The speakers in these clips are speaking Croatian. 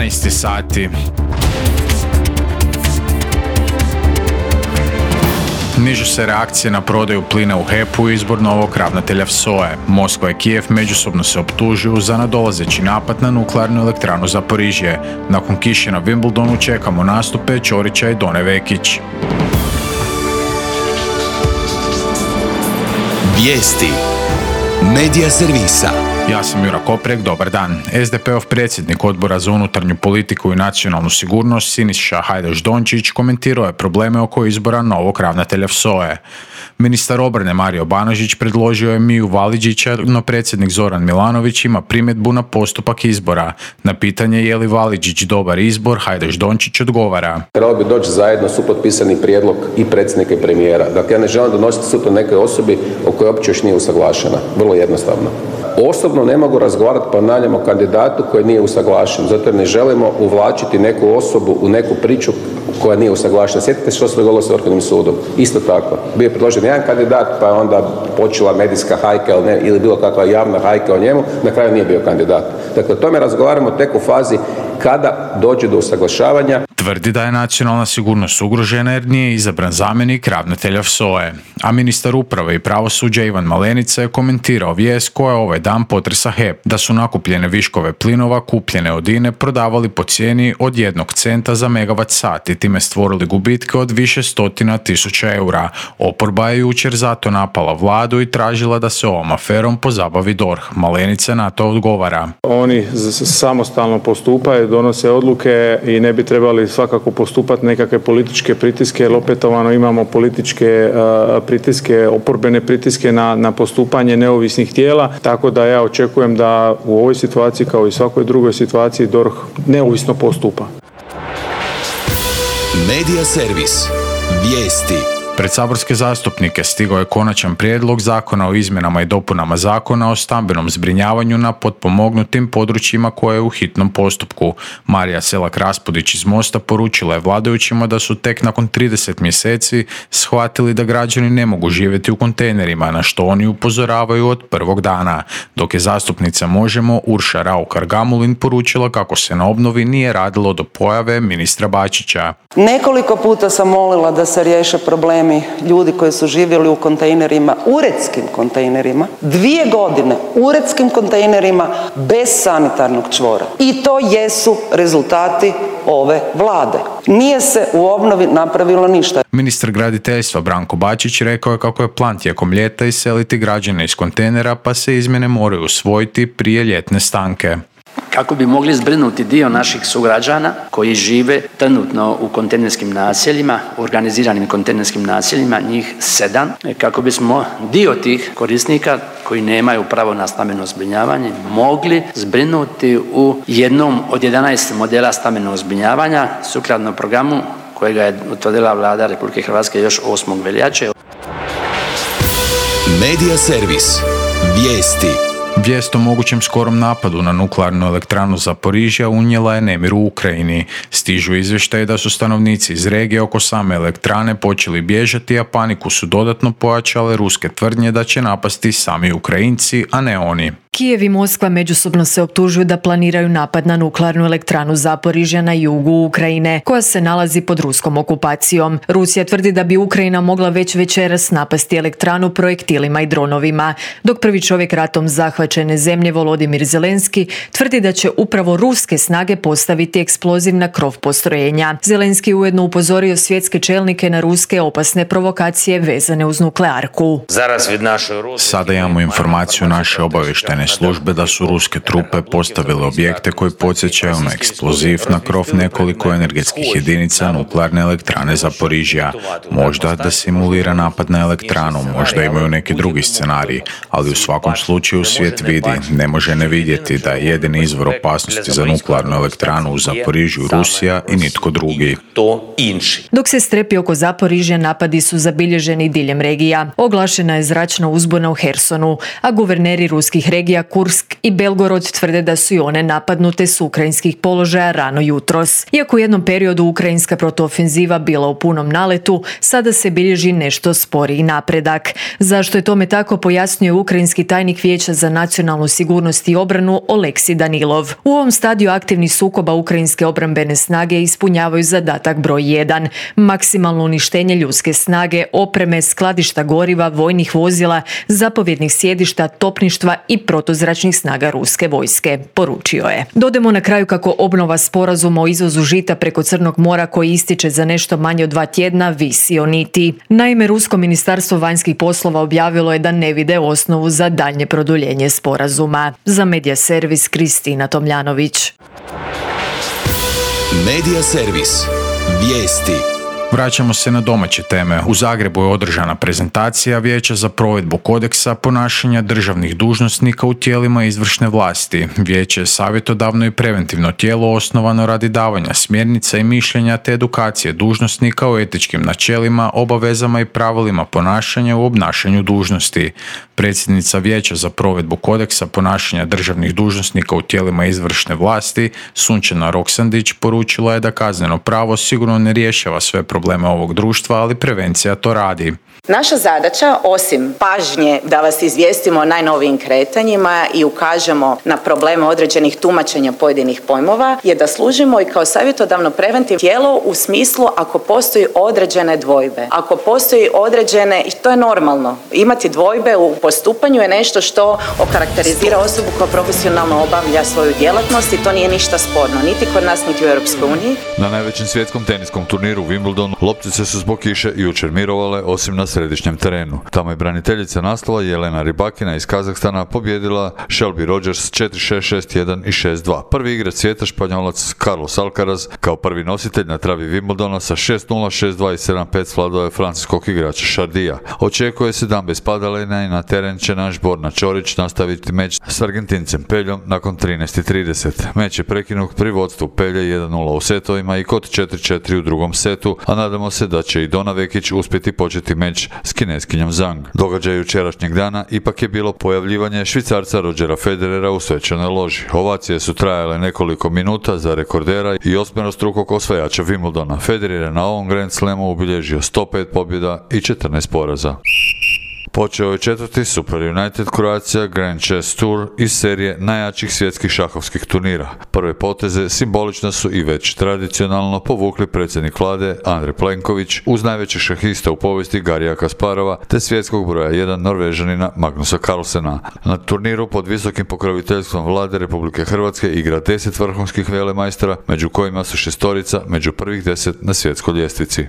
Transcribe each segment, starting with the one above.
12 sati. Nižu se reakcije na prodaju plina u HEP-u i izbor novog ravnatelja SOA-e. Moskva i Kijev međusobno se optužuju za nadolazeći napad na nuklearnu elektranu Zaporižje. Nakon kiše na Wimbledonu čekamo nastupe Ćorića i Done Vekić. Vijesti Medija servisa. Ja sam Jura Koprek, dobar dan. SDP-ov predsjednik Odbora za unutarnju politiku i nacionalnu sigurnost Siniša Hajdaš-Dončić komentirao je probleme oko izbora novog ravnatelja SOA-e. Ministar obrane Mario Banožić predložio je Miju Validžića, no predsjednik Zoran Milanović ima primjedbu na postupak izbora. Na pitanje je li Validžić dobar izbor, Hajdaš-Dončić odgovara. Trebalo bi doći zajedno supotpisani prijedlog i predsjednika i premijera. Dakle, ja ne želim donositi sud o nekoj osobi o kojoj uopće još nije usaglašena. Vrlo jednostavno. Osobno ne mogu razgovarati, ponavljam, o kandidatu koji nije usaglašen, zato jer ne želimo uvlačiti neku osobu u neku priču koja nije usaglašena. Sjetite što se dogodilo sa Vrhovnim sudom. Isto tako. Bio je predložen jedan kandidat, pa je onda počela medijska hajka ili bilo kakva javna hajka o njemu, na kraju nije bio kandidat. Dakle, o tome razgovaramo tek u fazi kada dođe do usaglašavanja. Tvrdi da je nacionalna sigurnost ugrožena jer nije izabran zamjenik ravnatelja SOA-e. A ministar uprave i pravosuđa Ivan Malenica je komentirao vijest koja ovaj dan potresa HEP, da su nakupljene viškove plinova kupljene od INE prodavali po cijeni od 1 centa za megavat sat i time stvorili gubitke od više stotina tisuća eura. Oporba je jučer zato napala vladu i tražila da se ovom aferom pozabavi DORH. Malenica na to odgovara. Oni samostalno postupaju, donose odluke i ne bi trebali svakako postupati nekakve političke pritiske, jer opetovano imamo političke pritiske, oporbene pritiske na postupanje neovisnih tijela, tako da ja očekujem da u ovoj situaciji kao i svakoj drugoj situaciji DORH neovisno postupa. Medija servis. Vijesti. Pred saborske zastupnike stigao je konačan prijedlog zakona o izmjenama i dopunama zakona o stambenom zbrinjavanju na potpomognutim područjima koje je u hitnom postupku. Marija Selak-Raspudić iz Mosta poručila je vladajućima da su tek nakon 30 mjeseci shvatili da građani ne mogu živjeti u kontejnerima, na što oni upozoravaju od prvog dana. Dok je zastupnica Možemo Urša Raukar-Gamulin poručila kako se na obnovi nije radilo do pojave ministra Bačića. Nekoliko puta sam molila da se riješe problemi ljudi koji su živjeli u kontejnerima, uredskim kontejnerima, 2 godine uredskim kontejnerima bez sanitarnog čvora. I to jesu rezultati ove vlade. Nije se u obnovi napravilo ništa. Ministar graditeljstva Branko Bačić rekao je kako je plan tijekom ljeta iseliti građane iz kontejnera, pa se izmjene moraju usvojiti prije ljetne stanke. Kako bi mogli zbrinuti dio naših sugrađana koji žive trenutno u kontejnerskim naseljima, organiziranim kontejnerskim naseljima, njih 7, kako bismo dio tih korisnika koji nemaju pravo na stambeno zbrinjavanje mogli zbrinuti u jednom od 11 modela stambenog zbrinjavanja sukladno programu kojega je utvrdila Vlada Republike Hrvatske još 8. veljače. Medija servis. Vijesti. Vijest o mogućem skorom napadu na nuklearnu elektranu Zaporižja unijela je nemir u Ukrajini. Stižu izvještaje da su stanovnici iz regije oko same elektrane počeli bježati, a paniku su dodatno pojačale ruske tvrdnje da će napasti sami Ukrajinci, a ne oni. Kijev i Moskva međusobno se optužuju da planiraju napad na nuklearnu elektranu Zaporižja na jugu Ukrajine, koja se nalazi pod ruskom okupacijom. Rusija tvrdi da bi Ukrajina mogla već večeras napasti elektranu projektilima i dronovima, dok prvi čovjek ratom zahvaćene zemlje Volodimir Zelenski tvrdi da će upravo ruske snage postaviti eksploziv na krov postrojenja. Zelenski ujedno upozorio svjetske čelnike na ruske opasne provokacije vezane uz nuklearku. Sada imamo informaciju naše obavještajne službe da su ruske trupe postavile objekte koji podsjećaju na eksploziv na krov nekoliko energetskih jedinica nuklearne elektrane Zaporižja. Možda da simulira napad na elektranu, možda imaju neki drugi scenarij, ali u svakom slučaju svijet vidi, ne može ne vidjeti da je jedini izvor opasnosti za nuklearnu elektranu u Zaporižju Rusija i nitko drugi. Dok se strepi oko Zaporižja, napadi su zabilježeni diljem regija. Oglašena je zračna uzbuna u Hersonu, a guverneri ruskih regija regija Kursk i Belgorod tvrde da su i one napadnute s ukrajinskih položaja rano jutros. Iako u jednom periodu ukrajinska protuofenziva bila u punom naletu, sada se bilježi nešto sporiji napredak. Zašto je tome tako, pojasnio ukrajinski tajnik Vijeća za nacionalnu sigurnost i obranu Oleksij Danilov. U ovom stadiju aktivnih sukoba ukrajinske obrambene snage ispunjavaju zadatak broj 1, maksimalno uništenje ljudske snage, opreme, skladišta goriva, vojnih vozila, zapovjednih sjedišta, topništva i protuzračnih snaga ruske vojske, poručio je. Dodajmo na kraju kako obnova sporazuma o izvozu žita preko Crnog mora koji ističe za nešto manje od 2 tjedna visi o niti. Naime, Rusko ministarstvo vanjskih poslova objavilo je da ne vide osnovu za daljnje produljenje sporazuma. Za Medija servis Kristina Tomljanović. Medija servis. Vijesti. Vraćamo se na domaće teme. U Zagrebu je održana prezentacija Vijeća za provedbu kodeksa ponašanja državnih dužnosnika u tijelima izvršne vlasti. Vijeće je savjetodavno i preventivno tijelo osnovano radi davanja smjernica i mišljenja te edukacije dužnosnika o etičkim načelima, obavezama i pravilima ponašanja u obnašanju dužnosti. Predsjednica Vijeća za provedbu kodeksa ponašanja državnih dužnosnika u tijelima izvršne vlasti, Sunčana Roksandić, poručila je da kazneno pravo sigurno ne rješava sve probleme ovog društva, ali prevencija to radi. Naša zadaća, osim pažnje da vas izvijestimo o najnovijim kretanjima i ukažemo na probleme određenih tumačenja pojedinih pojmova, je da služimo i kao savjetodavno preventivno tijelo u smislu ako postoji određene dvojbe. Ako postoji određene, i to je normalno, imati dvojbe u postupanju je nešto što okarakterizira osobu koja profesionalno obavlja svoju djelatnost i to nije ništa sporno, niti kod nas, niti u Europskoj uniji. Na najvećem svjetskom teniskom turniru u Wimbledonu loptice su zbog kiše jučer mirovale, osim na središnjem terenu. Tamo je braniteljica naslova Jelena Rybakina iz Kazahstana pobjedila Shelby Rogers 4-6, 6-1 i 6-2. Prvi igrač svijeta, Španjolac Carlos Alcaraz, kao prvi nositelj na travi Wimbledona sa 6-0, 6-2 i 7-5 svladao je francuskog igrača Chardija. Očekuje se dan bez padalina i na teren će naš Borna Ćorić nastaviti meč s Argentincem Peljom nakon 13:30. Meč je prekinut pri vodstvu Pelje 1-0 u setovima i kod 4-4 u drugom setu, a nadamo se da će i Dona Vekić uspjeti početi meč s kineskinjom Zhang. Događaj jučerašnjeg dana ipak je bilo pojavljivanje Švicarca Rodgera Federera u svečanoj loži. Ovacije su trajale nekoliko minuta za rekordera i osmerostrukog osvajača Wimbledona. Federer je na ovom Grand Slamu obilježio 105 pobjeda i 14 poraza. Počeo je 4. Super United Croatia Grand Chess Tour iz serije najjačih svjetskih šahovskih turnira. Prve poteze simbolično su i već tradicionalno povukli predsjednik vlade Andrej Plenković uz najvećeg šahista u povijesti Garija Kasparova te svjetskog broja 1 Norvežanina Magnusa Carlsena. Na turniru pod visokim pokroviteljstvom vlade Republike Hrvatske igra 10 vrhunskih velemajstora, među kojima su šestorica među prvih 10 na svjetskoj ljestvici.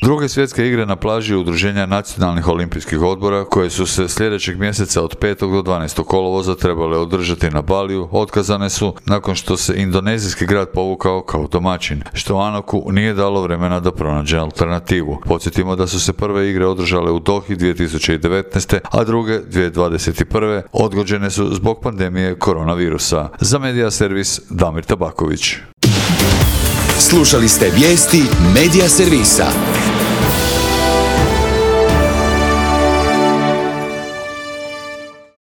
Druge svjetske igre na plaži Udruženja nacionalnih olimpijskih odbora, koje su se sljedećeg mjeseca od 5. do 12. kolovoza trebale održati na Baliju, otkazane su nakon što se indonezijski grad povukao kao domaćin, što Anoku nije dalo vremena da pronađe alternativu. Podsjetimo da su se prve igre održale u Dohi 2019. a druge 2021. odgođene su zbog pandemije koronavirusa. Za Medija servis Damir Tabaković. Slušali ste vijesti Medija servisa.